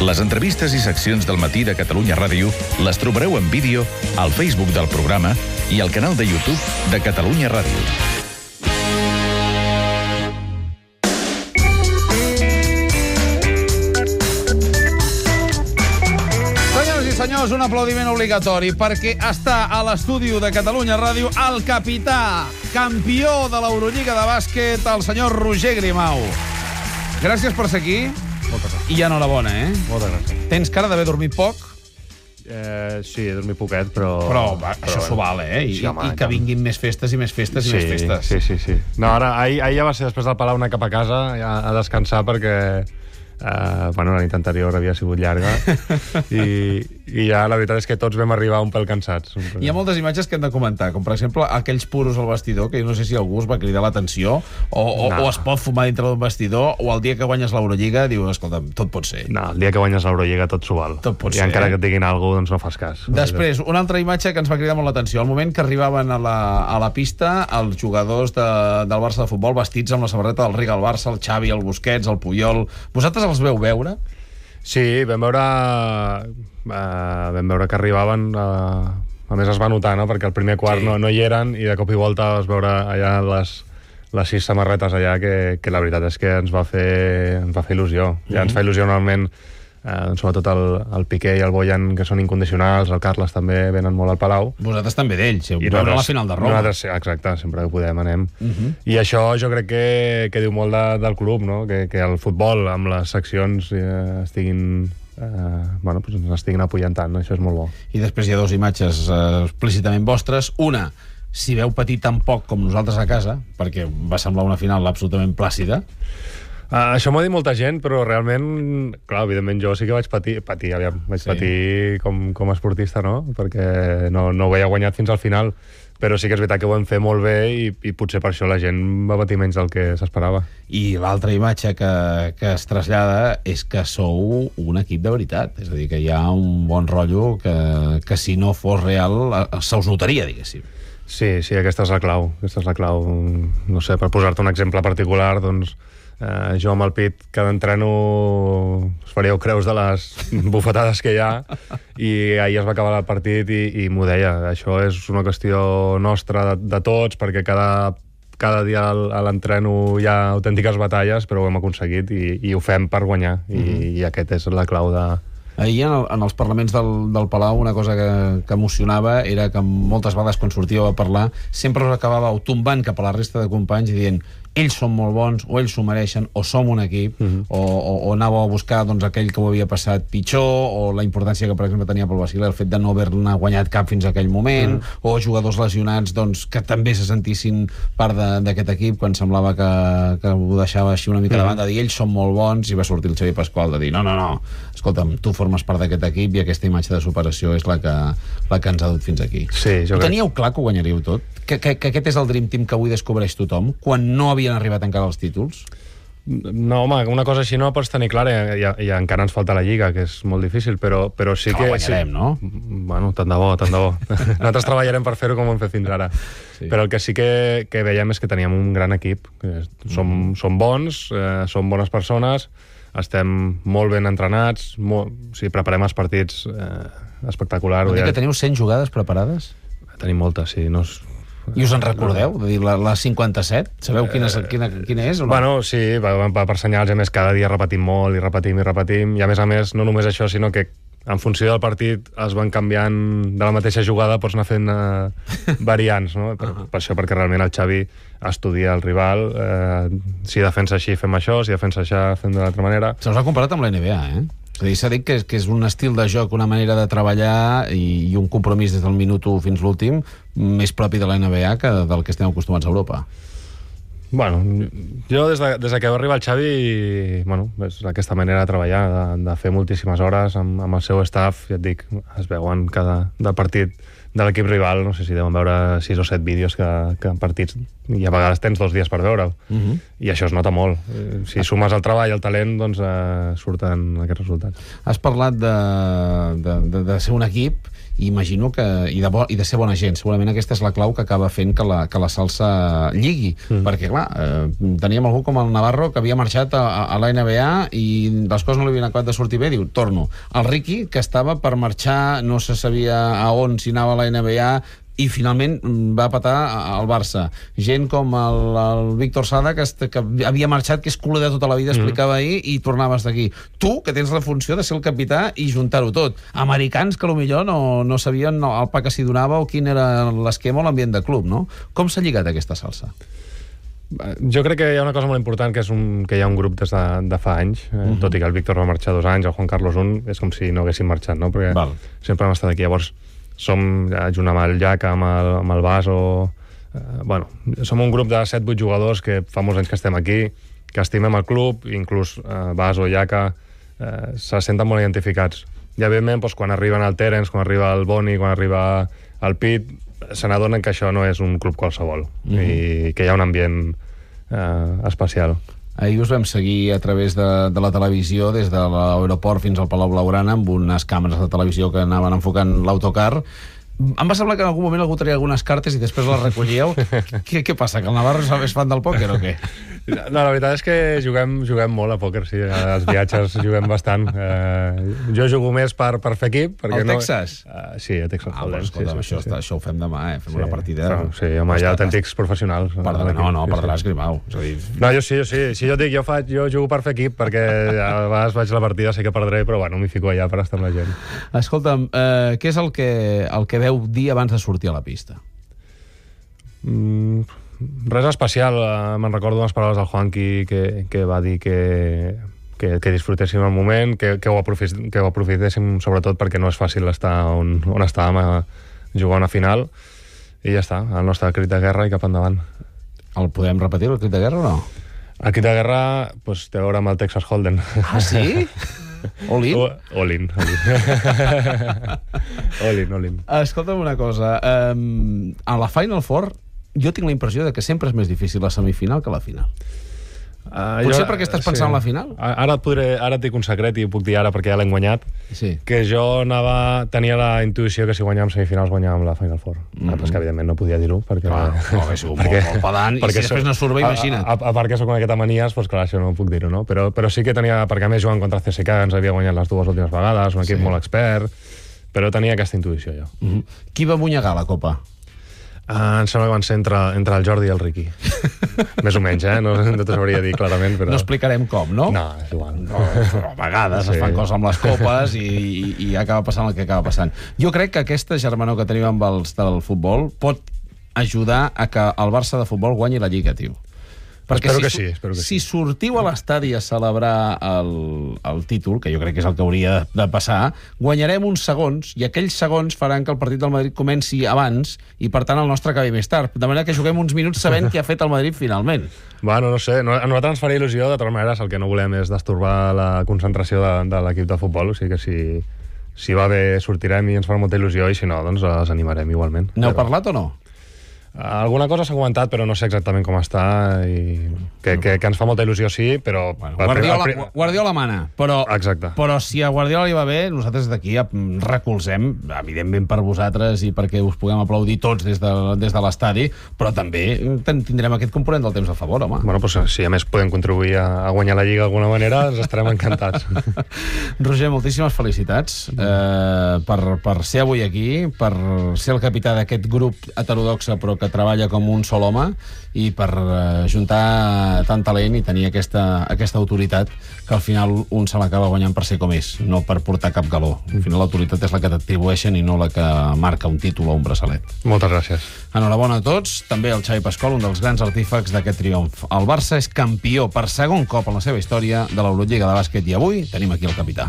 Les entrevistes i seccions del matí de Catalunya Ràdio les trobareu en vídeo al Facebook del programa i al canal de YouTube de Catalunya Ràdio. Senyors, un aplaudiment obligatori perquè està a l'estudi de Catalunya Ràdio el capità, campió de l'Eurolliga de bàsquet, el senyor Roger Grimau. Gràcies per ser aquí. Moltes gràcies. I enhorabona, eh? Moltes gràcies. Tens cara d'haver dormit poc? Sí, he dormit poquet, però... Això s'ho val, eh? Sí, home, I que vinguin més festes i més festes i més festes. Sí. No, ara, ahir ja va ser després del Palau anar cap a casa a descansar perquè... la nit anterior havia sigut llarga i ja la veritat és que tots vam arribar un pèl cansats. Hi ha moltes imatges que hem de comentar, com per exemple aquells puros al vestidor, que jo no sé si algú es va cridar l'atenció o es pot fumar dintre d'un vestidor, o el dia que guanyes l'Eurolliga diu, escolta'm, tot pot ser. No, el dia que guanyes l'Eurolliga tot s'ho val. Tot pot ser, encara que et diguin alguna cosa, doncs no fas cas. Després, una altra imatge que ens va cridar molt l'atenció, el moment que arribaven a la pista els jugadors del Barça de futbol vestits amb la samarreta del Riga al Barça, el Xavi, el Busquets, el Puyol. Vosaltres els veu veure? Sí, vam veure que arribaven, a més es va notar, no? Perquè el primer quart no hi eren i de cop i volta vas veure allà les 6 samarretes allà que la veritat és que ens va fer il·lusió. Ja ens fa il·lusió normalment, sobretot el Piqué i el Bojan, que són incondicionals, el Carles també venen molt al Palau. Vosaltres també d'ells, veure a la final de Roma. Nosaltres, exacte, sempre que podem anem. I això jo crec que diu molt del club, no? Que el futbol amb les seccions estiguin apoyantant, això és molt bo. I després hi ha dues imatges explícitament vostres. Una, si veu patir tan poc com nosaltres a casa, perquè va semblar una final absolutament plàcida. Això m'ho ha dit molta gent, però realment, clar, evidentment jo sí que vaig patir patir com a esportista, no? Perquè no ho havia guanyat fins al final, però sí que és veritat que ho vam fer molt bé i potser per això la gent va patir menys del que s'esperava. I l'altra imatge que es trasllada és que sou un equip de veritat, és a dir, que hi ha un bon rotllo que si no fos real se us notaria, diguéssim. Sí, aquesta és la clau. No sé, per posar-te un exemple particular, doncs jo amb el Pit cada entreno us faríeu creus de les bufetades que hi ha i ahir es va acabar el partit i m'ho deia, això és una qüestió nostra de tots, perquè cada dia a l'entreno hi ha autèntiques batalles, però ho hem aconseguit i ho fem per guanyar i aquest és la clau de... Ahir en els parlaments del Palau una cosa que emocionava era que moltes vegades quan sortíeu a parlar sempre us acabàveu tombant cap a la resta de companys i dient ells són molt bons, o ells s'ho mereixen, o som un equip, o anàveu a buscar doncs, aquell que ho havia passat pitjor, o la importància que, per exemple, tenia pel Basile el fet de no haver-ne guanyat cap fins a aquell moment, o jugadors lesionats doncs, que també se sentissin part d'aquest equip quan semblava que ho deixava així una mica de banda, dir ells són molt bons, i va sortir el Xavi Pasqual de dir no, escolta'm, tu formes part d'aquest equip i aquesta imatge de superació és la que ens ha dut fins aquí. Sí, ho teníeu clar que ho guanyaríeu tot? Que aquest és el Dream Team que avui descobreix tothom, quan no havien arribat encara els títols? No, home, una cosa així no la pots tenir clara i encara ens falta la Lliga, que és molt difícil, però sí que... La guanyarem, no? Bueno, tant de bo. Nosaltres treballarem per fer-ho com ho hem fet fins ara. Sí. Però el que sí que veiem és que teníem un gran equip. Som bons, som bones persones, estem molt ben entrenats, preparem els partits espectaculars. Vol dir que teniu 100 jugades preparades? Tenim moltes, sí. I us en recordeu? De dir, la 57? Sabeu quina és? O no? Bueno, sí, per senyals, a més, cada dia repetim molt i repetim, i a més, no només això, sinó que en funció del partit es van canviant de la mateixa jugada, pots anar fent variants, no? Per això, perquè realment el Xavi estudia el rival, si defensa així fem això, si defensa això fem d'una altra manera. Se us ha comparat amb la NBA, eh? És a dir, s'ha dit que és un estil de joc, una manera de treballar i un compromís des del minut 1 fins l'últim més propi de la NBA que del que estem acostumats a Europa. Bueno, jo des que va arribar el Xavi, és aquesta manera de treballar, de fer moltíssimes hores amb el seu staff, ja et dic, es veuen del partit l'equip rival, no sé si deuen veure 6 o 7 vídeos que en partits, i a vegades tens 2 dies per veure'l, i això es nota molt. Si sumes el treball i el talent, doncs surten aquests resultats. Has parlat de ser un equip, i imagino que i de ser bona gent. Segurament aquesta és la clau que acaba fent que la salsa lligui, perquè clar, teníem algú com el Navarro que havia marxat a la NBA i les coses no li havien acabat de sortir bé, diu, torno. El Ricky, que estava per marxar, no se sabia a on, si anava a la NBA, i finalment va patar al Barça. Gent com el Víctor Sada, que havia marxat, que és culer de tota la vida, explicava ahir, i tornaves d'aquí. Tu, que tens la funció de ser el capità i juntar-ho tot. Americans que potser no sabien el pa que s'hi donava o quin era l'esquema o l'ambient de club, no? Com s'ha lligat aquesta salsa? Jo crec que hi ha una cosa molt important, que és que hi ha un grup des de fa anys, tot i que el Víctor va marxar 2 anys, el Juan Carlos 1, és com si no haguessin marxat, no? Perquè sempre hem estat aquí. Llavors, som, junt amb el Jaca, amb el Baso, som un grup de 7-8 jugadors que fa molts anys que estem aquí, que estimem el club, inclús Baso, Jaca, se senten molt identificats. I evidentment, quan arriben el Terence, quan arriba el Boni, quan arriba el Pit, se n'adonen que això no és un club qualsevol, i que hi ha un ambient especial. Ahir us vam seguir a través de la televisió, des de l'aeroport fins al Palau Blaugrana, amb unes càmeres de televisió que anaven enfocant l'autocar. Em va semblar que en algun moment algú tenia algunes cartes i després les recollíeu. Què passa, que el Navarro és fan del pòquer o què? No, la veritat és que juguem molt a pòquer, sí. Als viatges juguem bastant. Jo jugo més per fer equip. Al Texas? Sí, a Texas Hold'em. Escolta'm, això ho fem demà, fem una partida. Sí, home, hi ha autèntics professionals. Perdràs, Grimau. No, jo sí. Si jo dic, jo jugo per fer equip, perquè a vegades vaig a la partida, sé que perdré, però bueno, m'hi fico allà per estar amb la gent. Escolta'm, què és el que veu dir abans de sortir a la pista? Res especial. Me'n recordo unes paraules del Juanqui que va dir que disfrutéssim el moment, que ho aprofitéssim sobretot perquè no és fàcil estar on estàvem a jugar una final, i ja està, el nostre crit de guerra i cap endavant. El podem repetir, el crit de guerra, o no? El crit de guerra té a veure amb el Texas Hold'em. Ah, sí? All in? All in. All in. Escolta'm una cosa, a la Final Four jo tinc la impressió de que sempre és més difícil la semifinal que la final. Potser perquè estàs pensant en la final? Ara et dic un secret, i ho puc dir ara perquè ja l'hem guanyat, que jo tenia la intuïció que si guanyàvem semifinals guanyàvem la Final Four. Però és que evidentment no podia dir-ho, perquè... No, que sigut molt pedant, i si després no surt bé, imagina't. A part que soc una miqueta manies, doncs clar, això no puc dir-ho, no? Però sí que tenia, perquè a més jugant contra CSKA ens havia guanyat les 2 últimes vegades, un equip molt expert, però tenia aquesta intuïció jo. Qui va munyegar la Copa? Em sembla que van ser entre el Jordi i el Riqui. Més o menys, no t'ho sabria dir clarament, però... No explicarem com, no? No, és igual. Però a vegades es fan coses amb les copes i acaba passant el que acaba passant. Jo crec que aquesta germanor que tenim amb els del futbol pot ajudar a que el Barça de futbol guanyi la Lliga, tio. Espero que sí. Si sortiu a l'estadi a celebrar el títol, que jo crec que és el que hauria de passar, guanyarem uns segons, i aquells segons faran que el partit del Madrid comenci abans i, per tant, el nostre acabi més tard. De manera que juguem uns minuts sabent què ha fet el Madrid finalment. Bueno, no sé. A nosaltres ens faria il·lusió. De totes maneres, el que no volem és destorbar la concentració de l'equip de futbol. O sigui que si va bé sortirem i ens farà molta il·lusió, i si no, doncs les animarem igualment. N'heu parlat o no? Alguna cosa s'ha comentat, però no sé exactament com està, i que ens fa molta il·lusió, sí, però... Guardiola mana, però si a Guardiola li va bé, nosaltres d'aquí recolzem, evidentment per vosaltres i perquè us puguem aplaudir tots des de l'estadi, però també tindrem aquest component del temps a favor, home. Bueno, doncs si a més podem contribuir a guanyar la Lliga d'alguna manera, ens estarem encantats. Roger, moltíssimes felicitats per ser avui aquí, per ser el capità d'aquest grup heterodoxe, però que treballa com un sol home, i per juntar tant talent i tenir aquesta autoritat que al final un se l'acaba guanyant per ser com és, no per portar cap galó. Al final l'autoritat és la que t'atribueixen i no la que marca un títol o un braçalet. Moltes gràcies. Enhorabona a tots, també al Xavi Pasqual, un dels grans artífecs d'aquest triomf. El Barça és campió per segon cop en la seva història de l'Eurolliga de bàsquet, i avui tenim aquí el capità.